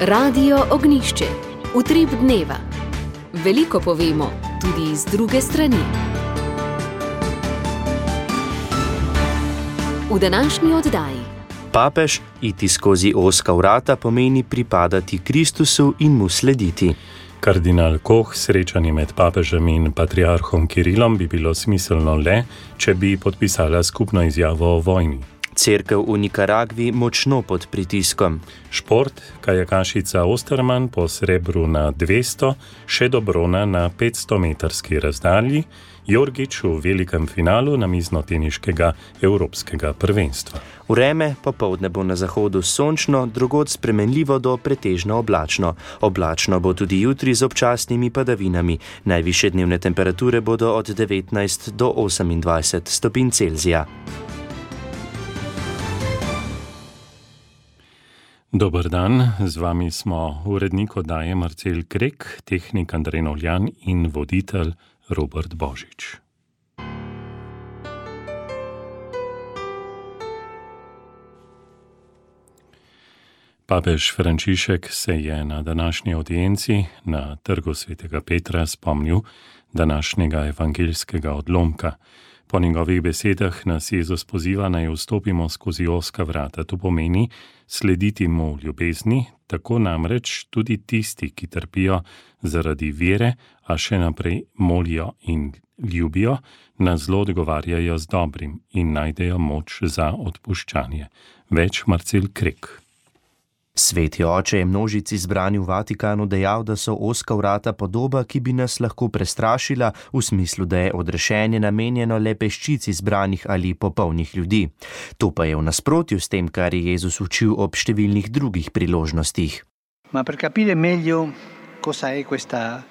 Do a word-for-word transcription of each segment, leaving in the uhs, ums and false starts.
Radio Ognišče, utrip dneva. Veliko povemo, tudi iz druge strani. V današnji oddaji. Papež iti skozi ozka vrata pomeni pripadati Kristusu in mu slediti. Kardinal Koh, srečanje med papežem in patriarhom Kirilom bi bilo smiselno le, če bi podpisala skupno izjavo o vojni. Cerkev v Nikaragvi močno pod pritiskom. Šport, kajakašica Osterman po srebru na dvesto, še do brona na petsto metrski razdalji, Jorgič v velikem finalu namiznoteniškega evropskega prvenstva. Vreme popoldne bo na zahodu sončno, drugod spremenljivo do pretežno oblačno. Oblačno bo tudi jutri z občasnimi padavinami. Najvišje dnevne temperature bodo od devetnajst do osemindvajset stopinj Celzija. Dober dan, z vami smo urednik oddaje Marcel Krek, tehnik Andrej Novljan in voditelj Robert Božič. Papež Frančišek se je na današnji audienci na trgu svetega Petra spomnil današnjega evangeljskega odlomka. Po njegovih besedah nas Jezus poziva, naj vstopimo skozi ozka vrata. To pomeni slediti mu v ljubezni, tako namreč tudi tisti, ki trpijo zaradi vere, a še naprej molijo in ljubijo, na zlo odgovarjajo z dobrim in najdejo moč za odpuščanje. Več Marcel Krek. Sveti oče je množici zbrani v Vatikanu dejal, da so ozka vrata podoba, ki bi nas lahko prestrašila, v smislu, da je odrešenje namenjeno le peščici zbranih ali popolnih ljudi. To pa je v nasprotju s tem, kar je Jezus učil ob številnih drugih priložnostih. Ma per capire meglio cosa è questa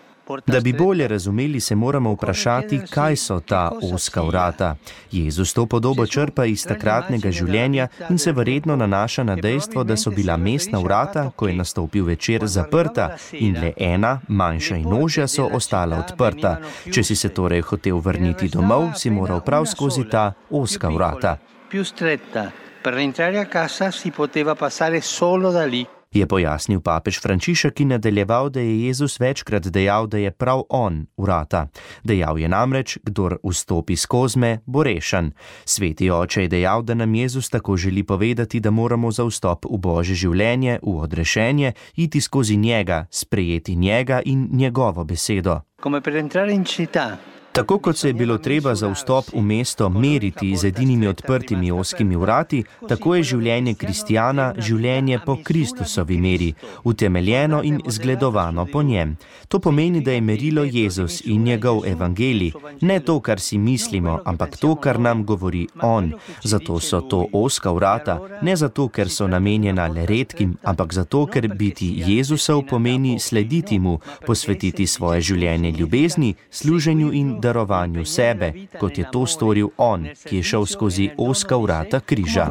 Da bi bolje razumeli, se moramo vprašati, kaj so ta ozka vrata. Jezus to podobo črpa iz takratnega življenja in se verjetno nanaša na dejstvo, da so bila mestna vrata, ko je nastopil večer, zaprta in le ena, manjša in ožja, so ostala odprta. Če si se torej hotel vrniti domov, si moral prav skozi ta ozka vrata. Più stretta, per rientrare a casa si poteva passare solo da lì. Je pojasnil papež Frančišek in nadaljeval, da je Jezus večkrat dejal, da je prav on vrata. Dejal je namreč, kdor vstopi skozme, bo rešen. Sveti oče je dejal, da nam Jezus tako želi povedati, da moramo za vstop v Božje življenje, v odrešenje, iti skozi njega, sprejeti njega in njegovo besedo. Come per entrare in città. Tako kot se je bilo treba za vstop v mesto meriti z edinimi odprtimi ozkimi vrati, tako je življenje kristjana življenje po Kristusovi meri, utemeljeno in zgledovano po njem. To pomeni, da je merilo Jezus in njegov evangelij, ne to, kar si mislimo, ampak to, kar nam govori on. Zato so to ozka vrata, ne zato, ker so namenjena le redkim, ampak zato, ker biti Jezusov pomeni slediti mu, posvetiti svoje življenje ljubezni, služenju in darovanju sebe, kot je to storil on, ki je šel skozi ozka vrata križa.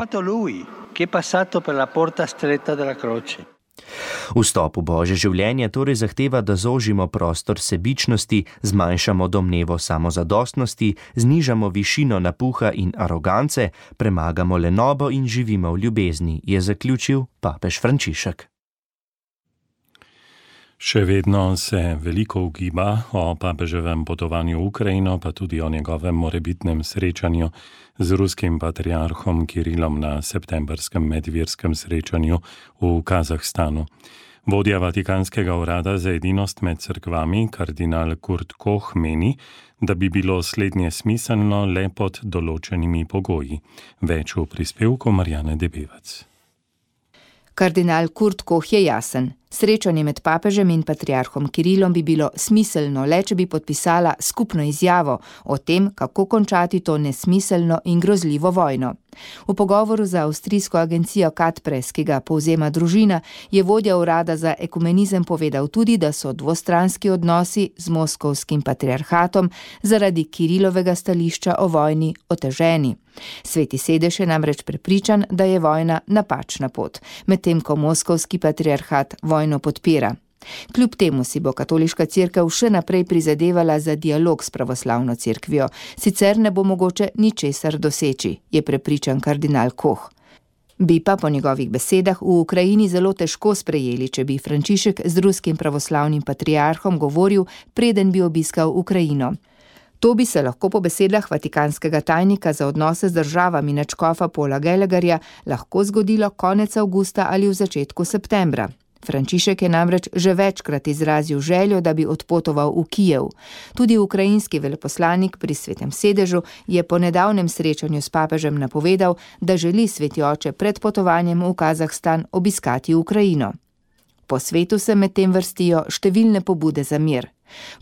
Vstop v Božje življenje torej zahteva, da zožimo prostor sebičnosti, zmanjšamo domnevo samozadostnosti, znižamo višino napuha in arogance, premagamo lenobo in živimo v ljubezni, je zaključil papež Frančišek. Še vedno se veliko ugiba o papeževem potovanju v Ukrajino, pa tudi o njegovem morebitnem srečanju z ruskim patriarhom Kirilom na septembrskem medverskem srečanju v Kazahstanu. Vodja Vatikanskega urada za edinost med cerkvami, kardinal Kurt Koh, meni, da bi bilo slednje smiselno le pod določenimi pogoji. Več v prispevku Marjane Debevec. Kardinal Kurt Koh je jasen. Srečanje med papežem in patriarhom Kirilom bi bilo smiselno le, če bi podpisala skupno izjavo o tem, kako končati to nesmiselno in grozljivo vojno. V pogovoru za avstrijsko agencijo Katpres, ki ga povzema družina, je vodja urada za ekumenizem povedal tudi, da so dvostranski odnosi z moskovskim patriarhatom zaradi Kirilovega stališča o vojni oteženi. Sveti sedež je namreč prepričan, da je vojna napačna pot, medtem ko moskovski patriarhat vojno podpira. Kljub temu si bo katoliška cerkev še naprej prizadevala za dialog s pravoslavno cerkvijo, sicer ne bo mogoče ničesar doseči, je prepričan kardinal Koh. Bi pa po njegovih besedah v Ukrajini zelo težko sprejeli, če bi Frančišek z ruskim pravoslavnim patriarhom govoril, preden bi obiskal Ukrajino. To bi se lahko po besedah vatikanskega tajnika za odnose z državami nadškofa Paula Gallagherja lahko zgodilo konec avgusta ali v začetku septembra. Frančišek je namreč že večkrat izrazil željo, da bi odpotoval v Kijev. Tudi ukrajinski veleposlanik pri Svetem sedežu je po nedavnem srečanju s papežem napovedal, da želi Sveti oče pred potovanjem v Kazahstan obiskati Ukrajino. Po svetu se medtem vrstijo številne pobude za mir.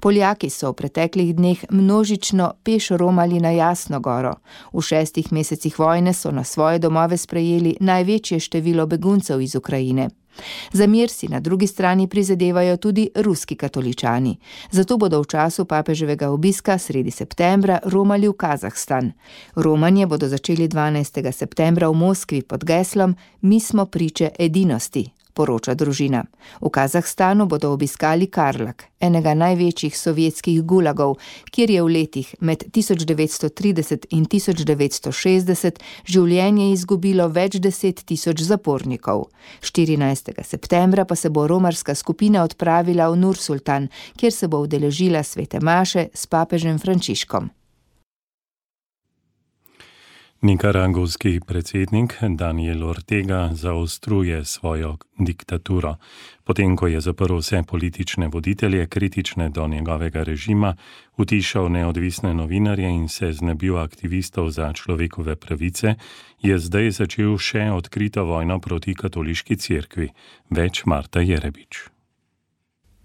Poljaki so v preteklih dneh množično peš romali na Jasno goro. V šestih mesecih vojne so na svoje domove sprejeli največje število beguncev iz Ukrajine. Za mir si na drugi strani prizadevajo tudi ruski katoličani. Zato bodo v času papeževega obiska sredi septembra romali v Kazahstan. Romanje bodo začeli dvanajstega septembra v Moskvi pod geslom Mi smo priče edinosti, poroča družina. V Kazahstanu bodo obiskali Karlak, enega največjih sovjetskih gulagov, kjer je v letih med tisoč devetsto trideset in tisoč devetsto šestdeset življenje izgubilo več deset tisoč zapornikov. štirinajstega septembra pa se bo romarska skupina odpravila v Nur-Sultan, kjer se bo udeležila svete maše s papežem Frančiškom. Nikaragvski predsednik Daniel Ortega zaostruje svojo diktaturo. Potem, ko je zaprl vse politične voditelje, kritične do njegovega režima, utišal neodvisne novinarje in se znebil aktivistov za človekove pravice, je zdaj začel še odkrito vojno proti katoliški cerkvi. Več Marta Jerebič.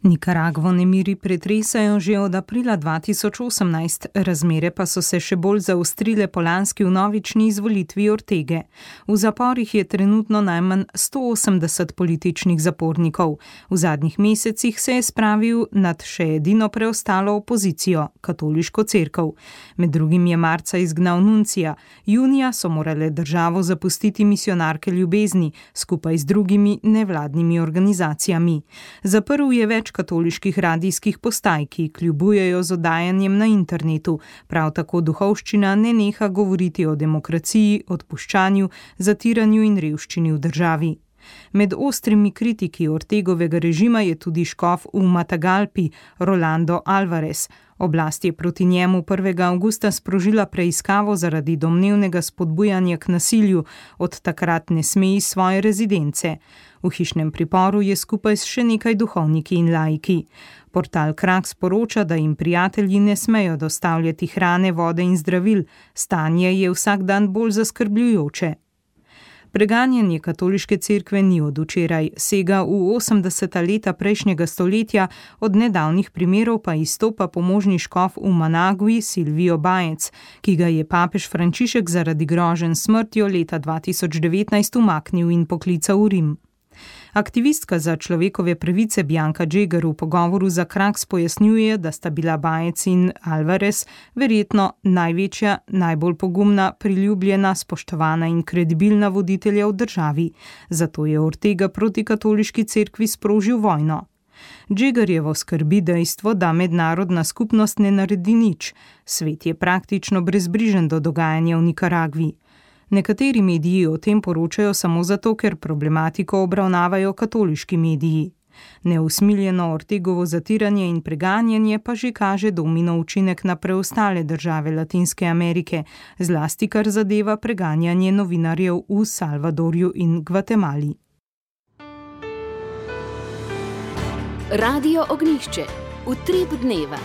Nikaragvo nemiri pretresajo že od aprila dva tisoč osemnajst, razmere pa so se še bolj zaostrile po lanski vnovični izvolitvi Ortege. V zaporih je trenutno najmanj sto osemdeset političnih zapornikov. V zadnjih mesecih se je spravil nad še edino preostalo opozicijo, katoliško cerkev. Med drugim je marca izgnal nuncija, junija so morale državo zapustiti misionarke ljubezni, skupaj z drugimi nevladnimi organizacijami. Zaprl je več katoliških radijskih postaj, ki kljubujejo z oddajanjem na internetu. Prav tako duhovščina ne neha govoriti o demokraciji, odpuščanju, zatiranju in revščini v državi. Med ostrimi kritiki Ortegovega režima je tudi škof v Matagalpi, Rolando Alvarez. Oblast je proti njemu prvega avgusta sprožila preiskavo zaradi domnevnega spodbujanja k nasilju, od takrat ne sme iz svoje rezidence. V hišnem priporu je skupaj s še nekaj duhovniki in laiki. Portal Krak sporoča, da jim prijatelji ne smejo dostavljati hrane, vode in zdravil. Stanje je vsak dan bolj zaskrbljujoče. Preganjanje katoliške cerkve ni od včeraj, sega v osemdeseta leta prejšnjega stoletja, od nedavnih primerov pa izstopa pomožni škof v Managvi Silvio Bajec, ki ga je papež Frančišek zaradi groženj s smrtjo leta dva tisoč devetnajst umaknil in poklical v Rim. Aktivistka za človekove pravice Bianca Jagger v pogovoru za Kraks pojasnjuje, da sta bila Bajec in Alvarez verjetno največja, najbolj pogumna, priljubljena, spoštovana in kredibilna voditelja v državi. Zato je Ortega proti katoliški cerkvi sprožil vojno. Jaggerjevo skrbi dejstvo, da mednarodna skupnost ne naredi nič. Svet je praktično brezbrižen do dogajanja v Nikaragvi. Nekateri mediji o tem poročajo samo zato, ker problematiko obravnavajo katoliški mediji. Neusmiljeno Ortegovo zatiranje in preganjanje pa že kaže domino učinek na preostale države Latinske Amerike, zlasti kar zadeva preganjanje novinarjev v Salvadorju in Gvatemali. Radio Ognjišče, utrip dneva.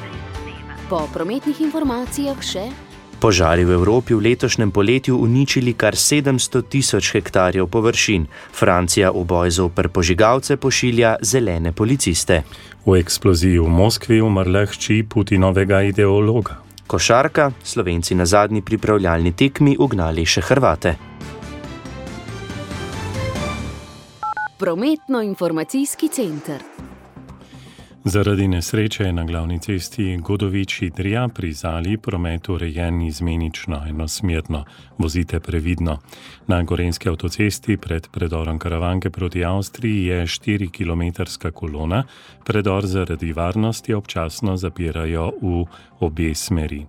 Po prometnih informacijah še... Požari v Evropi v letošnjem poletju uničili kar sedemsto tisoč hektarjev površin. Francija v boj zoper požigalce pošilja zelene policiste. V eksploziji v Moskvi umrla hči Putinovega ideologa. Košarka, Slovenci na zadnji pripravljalni tekmi ugnali še Hrvate. Prometno-informacijski center. Zaradi nesreče na glavni cesti Godovič-Idrija pri Zali promet urejen izmenično enosmerno. Vozite previdno. Na gorenjski avtocesti pred predorom Karavanke proti Avstriji je štirikilometrska kolona. Predor zaradi varnosti občasno zapirajo v obe smeri.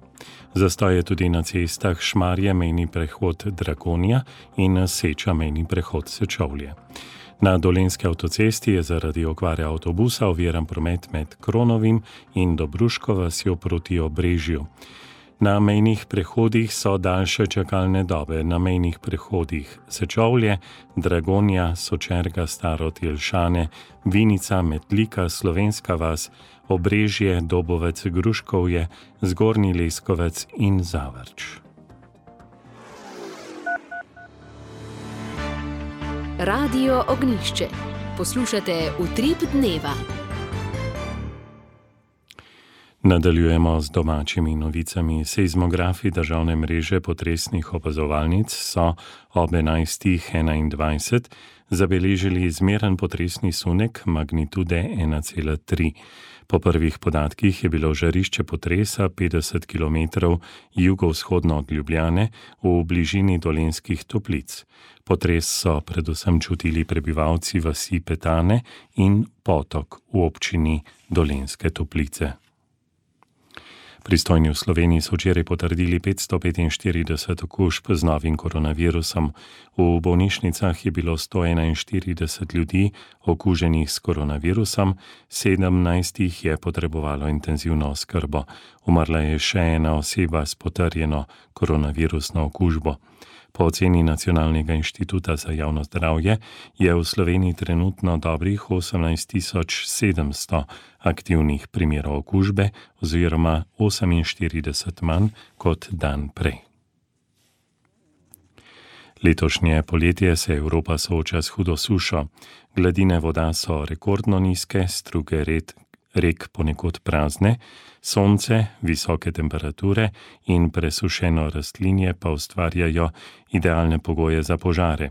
Zastoj je tudi na cestah Šmarje mejni prehod Dragonja in Seča mejni prehod Sečovlje. Na dolenjski avtocesti je zaradi okvare avtobusa oviran promet med Kronovim in Dobruško vasjo proti Obrežju. Na mejnih prehodih so daljše čakalne dobe. Na mejnih prehodih Sečovlje, Dragonja, Sočerga, Starod, Jelšane, Vinica, Metlika, Slovenska vas, Obrežje, Dobovec, Gruškovje, Zgornji Leskovec in Zavrč. Radio Ognjišče. Poslušate Utrip dneva. Nadaljujemo z domačimi novicami. Seizmografi državne mreže potresnih opazovalnic so ob enajstih enaindvajset zabeležili zmeren potresni sunek magnitude ena cela tri. Po prvih podatkih je bilo žarišče potresa petdeset kilometrov jugovzhodno od Ljubljane v bližini Dolenjskih Toplic. Potres so predvsem čutili prebivalci vasi Petane in Potok v občini Dolenjske Toplice. Pristojni v Sloveniji so včeraj potrdili petsto petinštirideset okužb z novim koronavirusom. V bolnišnicah je bilo sto enainštirideset ljudi okuženih s koronavirusom, sedemnajst jih je potrebovalo intenzivno oskrbo. Umrla je še ena oseba s potrjeno koronavirusno okužbo. Po oceni Nacionalnega inštituta za javno zdravje je v Sloveniji trenutno dobrih osemnajst tisoč sedemsto aktivnih primerov okužbe oziroma oseminštirideset manj kot dan prej. Letošnje poletje se Evropa sooča s hudo sušo. Gladine voda so rekordno nizke, struge red rek ponekod prazne, sonce, visoke temperature in presušeno rastlinje pa ustvarjajo idealne pogoje za požare.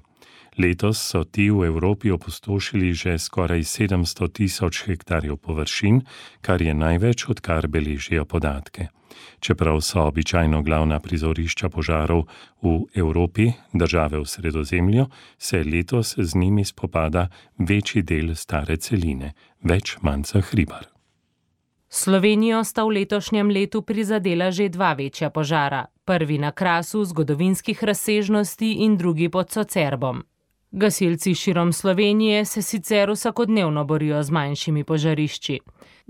Letos so ti v Evropi opustošili že skoraj sedemsto tisoč hektarjev površin, kar je največ, odkar beležijo podatke. Čeprav so običajno glavna prizorišča požarov v Evropi, države v Sredozemlju, se letos z njimi spopada večji del stare celine, več Manca Hribar. Slovenijo sta v letošnjem letu prizadela že dva večja požara. Prvi na Krasu zgodovinskih razsežnosti in drugi pod Socerbom. Gasilci širom Slovenije se sicer vsakodnevno borijo z manjšimi požarišči.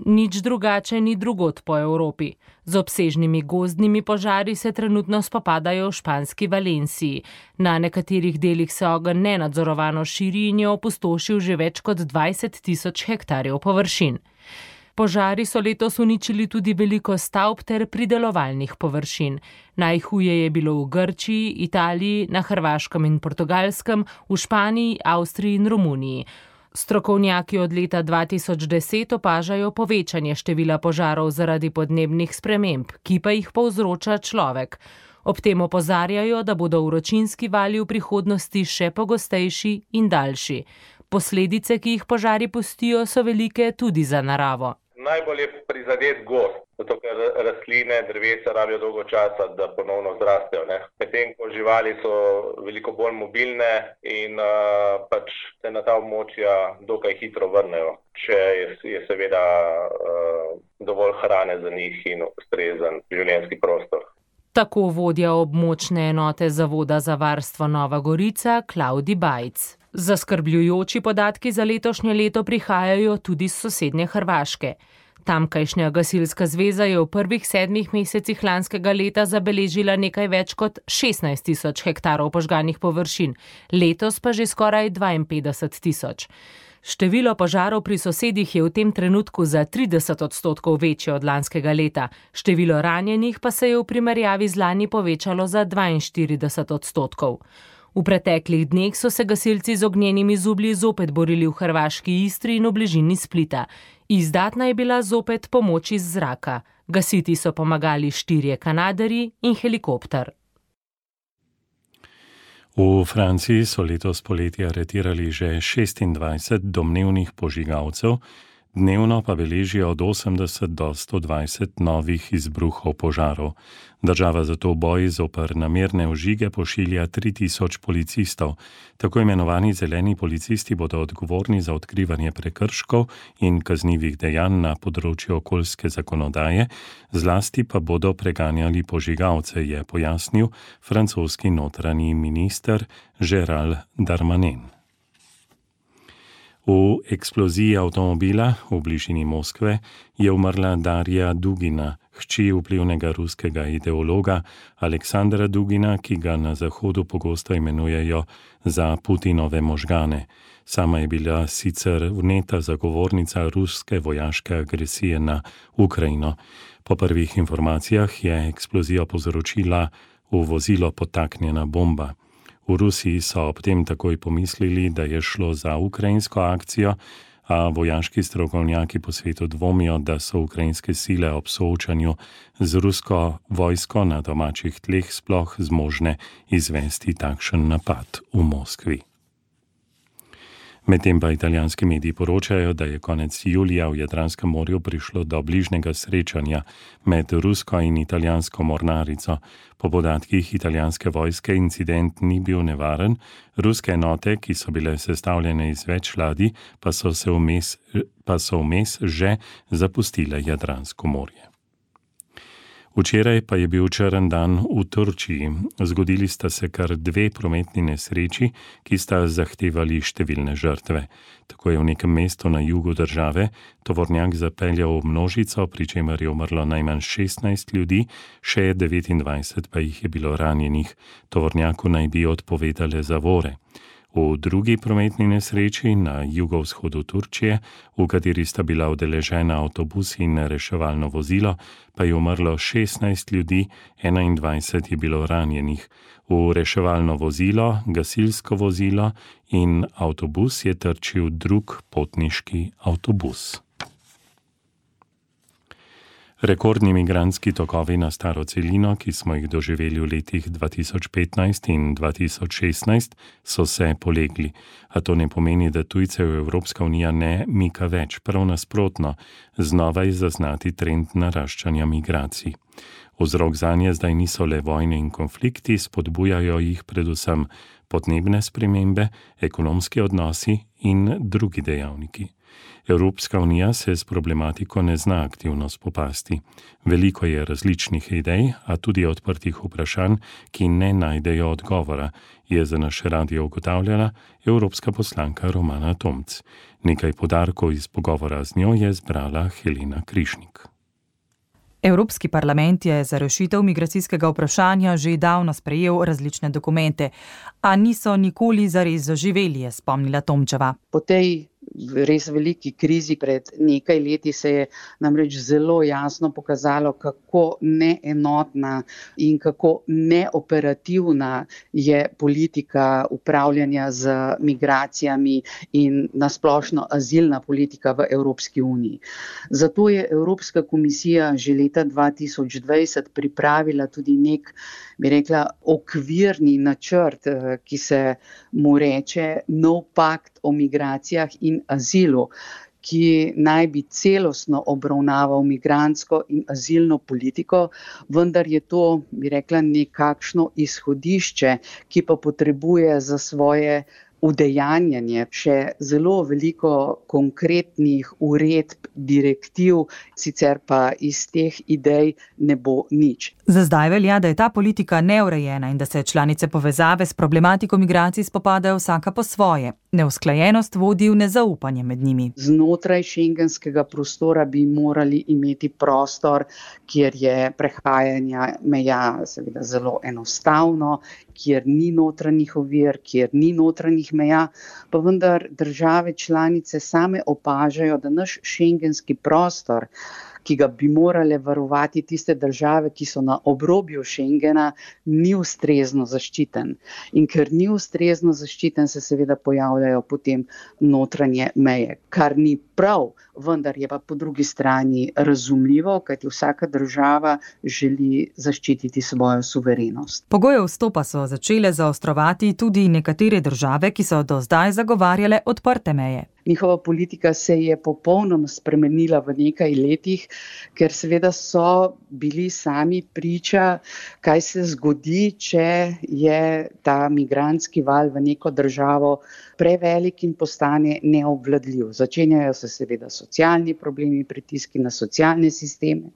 Nič drugače ni drugod po Evropi. Z obsežnimi gozdnimi požari se trenutno spopadajo v španski Valenciji. Na nekaterih delih se ogenj nenadzorovano širi in je opustošil že več kot dvajset tisoč hektarjev površin. Požari so letos uničili tudi veliko stavb ter pridelovalnih površin. Najhuje je bilo v Grčiji, Italiji, na Hrvaškem in Portugalskem, v Španiji, Avstriji in Romuniji. Strokovnjaki od leta dva tisoč deset opažajo povečanje števila požarov zaradi podnebnih sprememb, ki pa jih povzroča človek. Ob tem opozarjajo, da bodo vročinski vali v prihodnosti še pogostejši in daljši. Posledice, ki jih požari pustijo, so velike tudi za naravo. Najbolj je prizadet gozd, zato ker rastline, drevesa rabijo dolgo časa, da ponovno zrastejo. Medtem ko živali so veliko bolj mobilne in uh, pač se na ta območja dokaj hitro vrnejo, če je, je seveda uh, dovolj hrane za njih in ustrezen življenjski prostor. Tako vodja območne enote Zavoda za varstvo Nova Gorica Klavdi Bajc. Zaskrbljujoči podatki za letošnje leto prihajajo tudi s sosednje Hrvaške. Tamkajšnja gasilska zveza je v prvih sedmih mesecih lanskega leta zabeležila nekaj več kot šestnajst tisoč hektarov požganih površin, letos pa že skoraj dvainpetdeset tisoč. Število požarov pri sosedih je v tem trenutku za trideset odstotkov večje od lanskega leta, število ranjenih pa se je v primerjavi z lani povečalo za dvainštirideset odstotkov. V preteklih dneh so se gasilci z ognjenimi zublji zopet borili v hrvaški Istri in v bližini Splita. Izdatna je bila zopet pomoč iz zraka. Gasiti so pomagali štirje kanaderji in helikopter. V Franciji so letos poleti aretirali že šestindvajset domnevnih požigalcev, Dnevno pa beležijo od osemdeset do sto dvajset novih izbruhov požarov. Država zato v boji zoper namerne ožige pošilja tri tisoč policistov. Tako imenovani zeleni policisti bodo odgovorni za odkrivanje prekrškov in kaznivih dejanj na področju okoljske zakonodaje, zlasti pa bodo preganjali požigalce, je pojasnil francoski notranji minister Gérald Darmanin. V eksploziji avtomobila v bližini Moskve je umrla Darja Dugina, hči vplivnega ruskega ideologa Aleksandra Dugina, ki ga na Zahodu pogosto imenujejo za Putinove možgane. Sama je bila sicer vneta zagovornica ruske vojaške agresije na Ukrajino. Po prvih informacijah je eksplozijo povzročila v vozilo podtaknjena bomba. V Rusiji so ob tem takoj pomislili, da je šlo za ukrajinsko akcijo, a vojaški strokovnjaki po svetu dvomijo, da so ukrajinske sile ob soočanju z rusko vojsko na domačih tleh sploh zmožne izvesti takšen napad v Moskvi. Medtem pa italijanski mediji poročajo, da je konec julija v Jadranskem morju prišlo do bližnjega srečanja med rusko in italijansko mornarico. Po podatkih italijanske vojske incident ni bil nevaren, ruske enote, ki so bile sestavljene iz več ladij, pa so se vmes, pa so vmes že zapustile Jadransko morje. Včeraj pa je bil črn dan v Turčiji. Zgodili sta se kar dve prometni nesreči, ki sta zahtevali številne žrtve. Tako je v nekem mestu na jugu države tovornjak zapeljal v množico, pri čemer je umrlo najmanj šestnajst ljudi, še devetindvajset pa jih je bilo ranjenih. Tovornjaku naj bi odpovedale zavore. V drugi prometni nesreči na jugovzhodu Turčije, v kateri sta bila udeležena avtobus in reševalno vozilo, pa je umrlo šestnajst ljudi, enaindvajset je bilo ranjenih. V reševalno vozilo, gasilsko vozilo in avtobus je trčil drug potniški avtobus. Rekordni migrantski tokovi na staro celino, ki smo jih doživeli v letih dva tisoč petnajst in dva tisoč šestnajst, so se polegli. A to ne pomeni, da tujcev Evropska unija ne mika več, prav nasprotno, znova je zaznati trend naraščanja migracij. Vzrok zanje zdaj niso le vojne in konflikti, spodbujajo jih predvsem podnebne spremembe, ekonomski odnosi in drugi dejavniki. Evropska unija se s problematiko ne zna aktivno spopasti. Veliko je različnih idej, a tudi odprtih vprašanj, ki ne najdejo odgovora, je za naš radio ugotavljala evropska poslanka Romana Tomc. Nekaj podarkov iz pogovora z njo je zbrala Helena Krišnik. Evropski parlament je za rešitev migracijskega vprašanja že davno sprejel različne dokumente, a niso nikoli zares zaživeli, je spomnila Tomčeva. Po tej res veliki krizi pred nekaj leti se je namreč zelo jasno pokazalo, kako neenotna in kako neoperativna je politika upravljanja z migracijami in nasplošno azilna politika v Evropski uniji. Zato je Evropska komisija že leta dva tisoč dvajset pripravila tudi nek, bi rekla, okvirni načrt, ki se mu reče nov pakt o migracijah in azilu, ki naj bi celostno obravnaval migrantsko in azilno politiko, vendar je to, bi rekla, nekakšno izhodišče, ki pa potrebuje za svoje udejanjanje še zelo veliko konkretnih uredb, direktiv, sicer pa iz teh idej ne bo nič. Za zdaj velja, da je ta politika neurejena in da se članice povezave s problematiko migracij spopadajo vsaka po svoje. Neusklajenost vodi v nezaupanje med njimi. Znotraj šengenskega prostora bi morali imeti prostor, kjer je prehajanje meja seveda zelo enostavno, kjer ni notranjih ovir, kjer ni notranjih meja, pa vendar države članice same opažajo, da naš šengenski prostor, ki ga bi morale varovati tiste države, ki so na obrobju Schengena, ni ustrezno zaščiten. In ker ni ustrezno zaščiten, se seveda pojavljajo potem notranje meje, kar ni prav, vendar je pa po drugi strani razumljivo, kajti vsaka država želi zaščititi svojo suverenost. Pogoje vstopa so začele zaostrovati tudi nekatere države, ki so do zdaj zagovarjale odprte meje. njihova politika se je popolnoma spremenila v nekaj letih, ker seveda so bili sami priča, kaj se zgodi, če je ta migrantski val v neko državo prevelik in postane neobvladljiv. Začenjajo se seveda socialni problemi, pritiski na socialne sisteme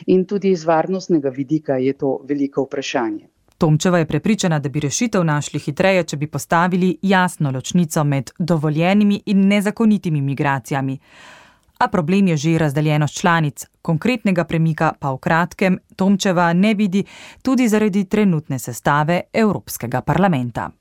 in tudi iz varnostnega vidika je to veliko vprašanje. Tomčeva je prepričana, da bi rešitev našli hitreje, če bi postavili jasno ločnico med dovoljenimi in nezakonitimi migracijami. A problem je že razdeljenost članic, konkretnega premika pa v kratkem Tomčeva ne vidi tudi zaradi trenutne sestave Evropskega parlamenta.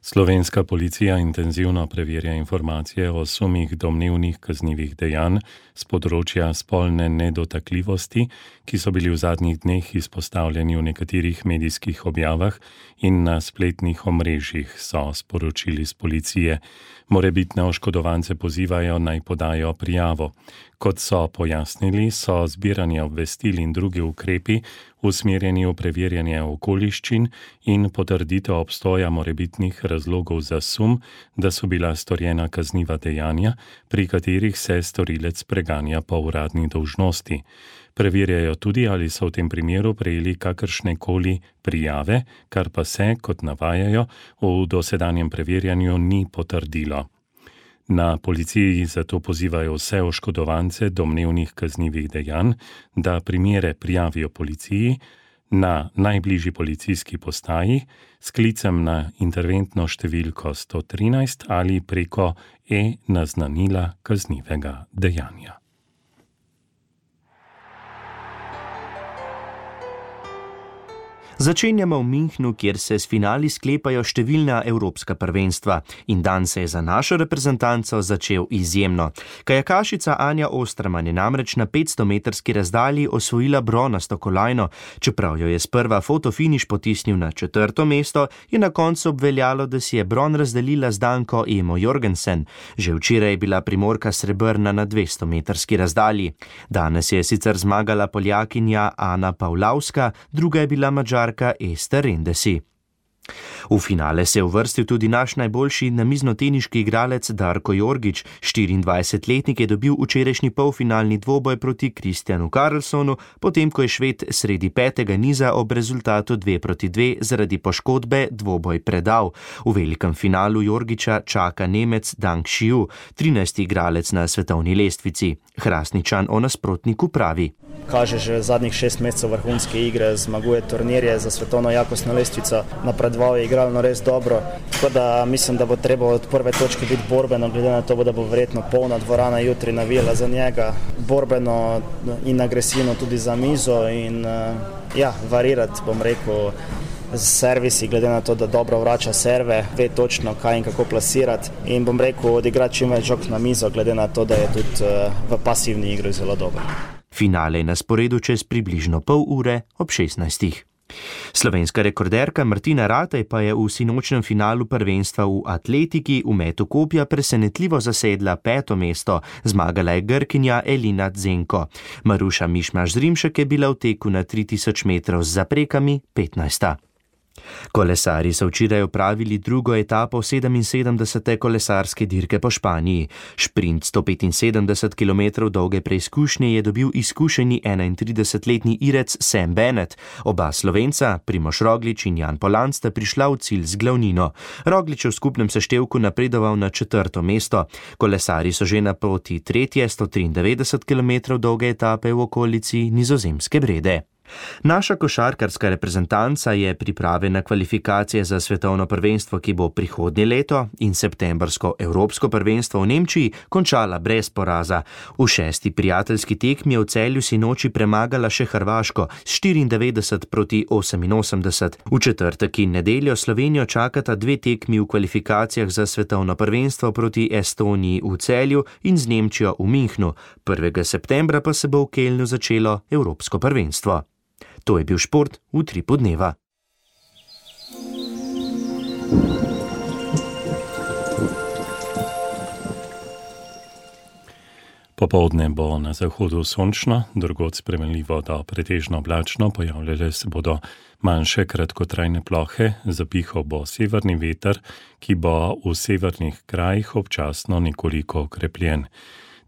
Slovenska policija intenzivno preverja informacije o sumih domnevnih kaznivih dejanj z področja spolne nedotakljivosti, ki so bili v zadnjih dneh izpostavljeni v nekaterih medijskih objavah in na spletnih omrežjih, so sporočili z policije. Morebitne oškodovance pozivajo naj podajo prijavo. Kot so pojasnili, so zbiranje obvestil in drugi ukrepi usmerjeni v preverjanje okoliščin in potrditev obstoja morebitnih razlogov za sum, da so bila storjena kazniva dejanja, pri katerih se storilec preganja po uradni dolžnosti. Preverjajo tudi, ali so v tem primeru prejeli kakršnekoli prijave, kar pa se, kot navajajo, v dosedanjem preverjanju ni potrdilo. Na policiji zato pozivajo vse oškodovance domnevnih kaznivih dejanj, da primere prijavijo policiji na najbližji policijski postaji s klicem na interventno številko sto trinajst ali preko e-naznanila kaznivega dejanja. Začenjamo v Münchnu, kjer se s finali sklepajo številna evropska prvenstva in dan se je za našo reprezentanco začel izjemno. Kajakašica Anja Osterman je namreč na petstometrski razdalji osvojila bronasto kolajno. Čeprav jo je sprva fotofiniš potisnil na četrto mesto, je na koncu obveljalo, da si je bron razdelila z Danko Emo Jorgensen. Že včeraj je bila Primorka srebrna na dvestometrski razdalji. Danes je sicer zmagala Poljakinja Ana Pavlavska, druga je bila Madžarka Ester Rendesi. V finale se je uvrstil tudi naš najboljši namiznoteniški igralec Darko Jorgić. štiriindvajsetletnik je dobil včerajšnji polfinalni dvoboj proti Kristjanu Karlsonu, potem ko je Šved sredi petega niza ob rezultatu dve proti dve zaradi poškodbe dvoboj predal. V velikem finalu Jorgića čaka Nemec Dang Xiu, trinajsti igralec na svetovni lestvici. Hrastničan o nasprotniku pravi: Kaže že zadnjih šest mesecev vrhunske igre, zmaguje turnirje za svetovno jakostno lestvico, napredoval je igralno res dobro, tako da mislim, da bo treba od prve točke biti borbeno, glede na to, da bo verjetno polna dvorana jutri navijala za njega, borbeno in agresivno tudi za mizo in ja, varirati, bom rekel, z servisi, glede na to, da dobro vrača serve, ve točno kaj in kako plasirati in bom rekel, odigrati čim več žog na mizo, glede na to, da je tudi v pasivni igri zelo dober. Finale je na sporedu čez približno pol ure ob šestnajstih. Slovenska rekorderka Martina Ratej pa je v sinočnem finalu prvenstva v atletiki v metu kopja presenetljivo zasedla peto mesto. Zmagala je Grkinja Elina Zenko. Maruša Mišmaš-Zrimšek je bila v teku na tri tisoč metrov z zaprekami petnajsta. Kolesarji so včeraj opravili drugo etapo sedeminsedemdesete kolesarske dirke po Španiji. Šprint sto petinsedemdeset kilometrov dolge preizkušnje je dobil izkušeni enaintridesetletni Irec Sam Bennett. Oba Slovenca, Primož Roglič in Jan Polan, sta prišla v cilj z glavnino. Roglič je v skupnem seštevku napredoval na četrto mesto. Kolesarji so že na poti tretje sto triindevetdeset kilometrov dolge etape v okolici Nizozemske Brede. Naša košarkarska reprezentanca je priprave na kvalifikacije za svetovno prvenstvo, ki bo prihodnje leto, in septembrsko evropsko prvenstvo v Nemčiji končala brez poraza. V šesti prijateljski tekmi je v Celju sinoči premagala še Hrvaško s štiriindevetdeset proti oseminosemdeset. V četrtek in nedeljo Slovenijo čakata dve tekmi v kvalifikacijah za svetovno prvenstvo proti Estoniji v Celju in z Nemčijo v Münchnu. prvega septembra pa se bo v Kelnu začelo evropsko prvenstvo. To je bil šport v Utripu dneva. Popoldne bo na zahodu sončno, drugod spremenljivo do pretežno oblačno, pojavljale se bodo manjše kratkotrajne plohe, zapihal bo severni veter, ki bo v severnih krajih občasno nekoliko okrepljen.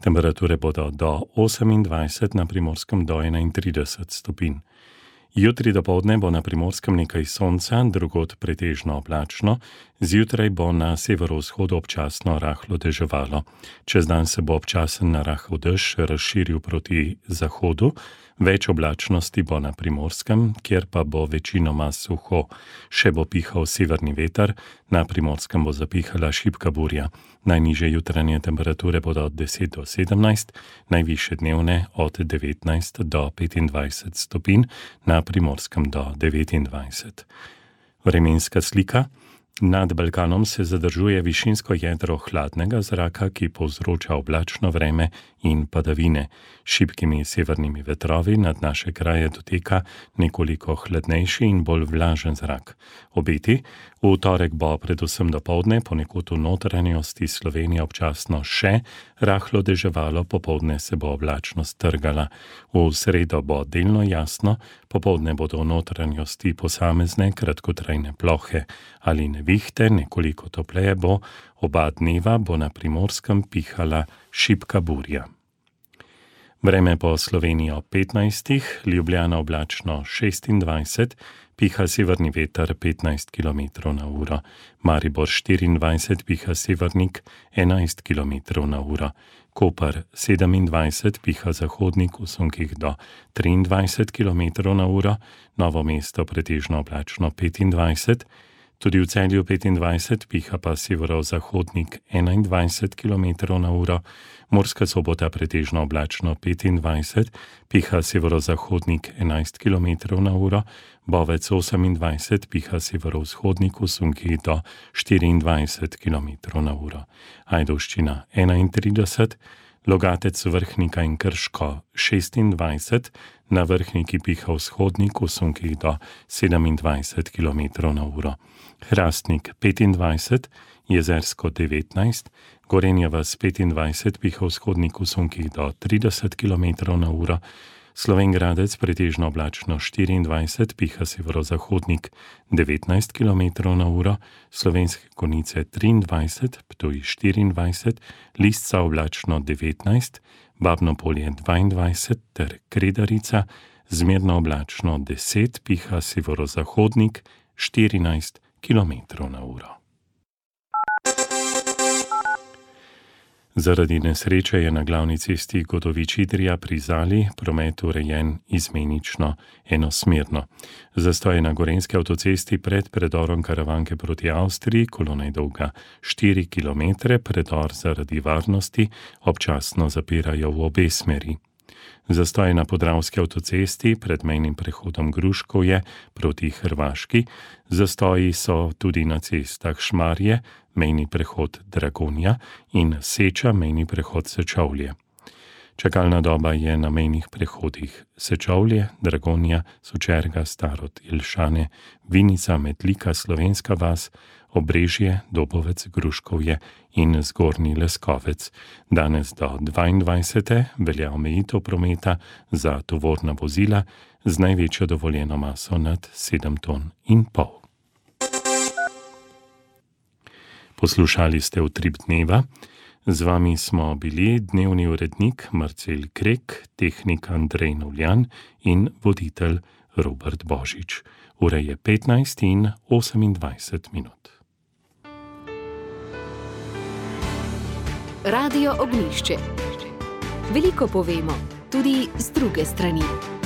Temperature bodo do osemindvajset, na Primorskem do enaintrideset stopinj. Jutri dopoldne bo na Primorskem nekaj sonca, drugod pretežno oblačno, zjutraj bo na severovzhodu občasno rahlo deževalo. Čez dan se bo občasen narahel dež razširil proti zahodu, več oblačnosti bo na Primorskem, kjer pa bo večinoma suho. Še bo pihal severni veter, na Primorskem bo zapihala šibka burja. Najnižje jutranje temperature bodo od deset do sedemnajst, najvišje dnevne od devetnajst do petindvajset stopinj, na Primorskem do devetindvajset. Vremenska slika. Nad Balkanom se zadržuje višinsko jedro hladnega zraka, ki povzroča oblačno vreme in padavine. Šibkimi severnimi vetrovi nad naše kraje doteka nekoliko hladnejši in bolj vlažen zrak. Obeti, v torek bo predvsem dopoldne ponekod v notranjosti Slovenije občasno še rahlo deževalo, popoldne se bo oblačnost trgala. V sredo bo delno jasno, popoldne bodo v notranjosti posamezne kratkotrajne plohe ali nevihte, nekoliko topleje bo, oba dneva bo na Primorskem pihala šibka burja. Vreme po Sloveniji ob petnajstih, Ljubljana oblačno šestindvajset, piha severni veter petnajst kilometrov na uro, Maribor štiriindvajset, piha severnik enajst kilometrov na uro, Koper sedemindvajset, piha zahodnik v sunkih do triindvajset kilometrov na uro, Novo mesto pretežno oblačno petindvajset, tudi v Celju petindvajset, piha pa severozahodnik enaindvajset kilometrov na uro, Murska Sobota pretežno oblačno petindvajset, piha severozahodnik enajst kilometrov na uro, Bovec osemindvajset, piha severovzhodnik v sunkih do štiriindvajset kilometrov na uro, Ajdovščina enaintrideset, Logatec, Vrhnika in Krško šestindvajset, na Vrhniki piha vzhodnik v sunkih do sedemindvajset kilometrov na uro, Hrastnik petindvajset, Jezersko devetnajst, Gorenja vas petindvajset, piha vzhodnik v sunkih do trideset kilometrov na uro, Slovenj Gradec pretežno oblačno štiriindvajset, piha severozahodnik devetnajst kilometrov na uro, Slovenske Konjice triindvajset, Ptuj štiriindvajset, Lisca oblačno devetnajst, Babno Polje dvaindvajset ter Kredarica zmerno oblačno deset, piha severozahodnik štirinajst kilometrov na uro. Zaradi nesreče je na glavni cesti Godovič-Idrija pri Zali promet urejen izmenično enosmerno. Zastoj je na gorenjski avtocesti pred predorom Karavanke proti Avstriji, kolona je dolga štiri kilometre, predor zaradi varnosti občasno zapirajo v obe smeri. Zastoj na podravski avtocesti pred mejnim prehodom Gruškovje proti Hrvaški, zastoji so tudi na cestah Šmarje, mejni prehod Dragonja in Seča, mejni prehod Sečovlje. Čakalna doba je na mejnih prehodih Sečovlje, Dragonja, Sočerga, Starod, Jelšane, Vinica, Metlika, Slovenska vas, Obrežje, Dobovec, Gruškovje in Zgornji Leskovec. Danes do dvaindvajsete velja omejitev prometa za tovorna vozila z največjo dovoljeno maso nad sedem ton in pol. Poslušali ste Utrip dneva. Z vami smo bili dnevni urednik Marcel Krek, tehnik Andrej Novljan in voditelj Robert Božič. Ura je petnajst in osemindvajset minut. Radio Ognjišče. Veliko povemo, tudi z druge strani.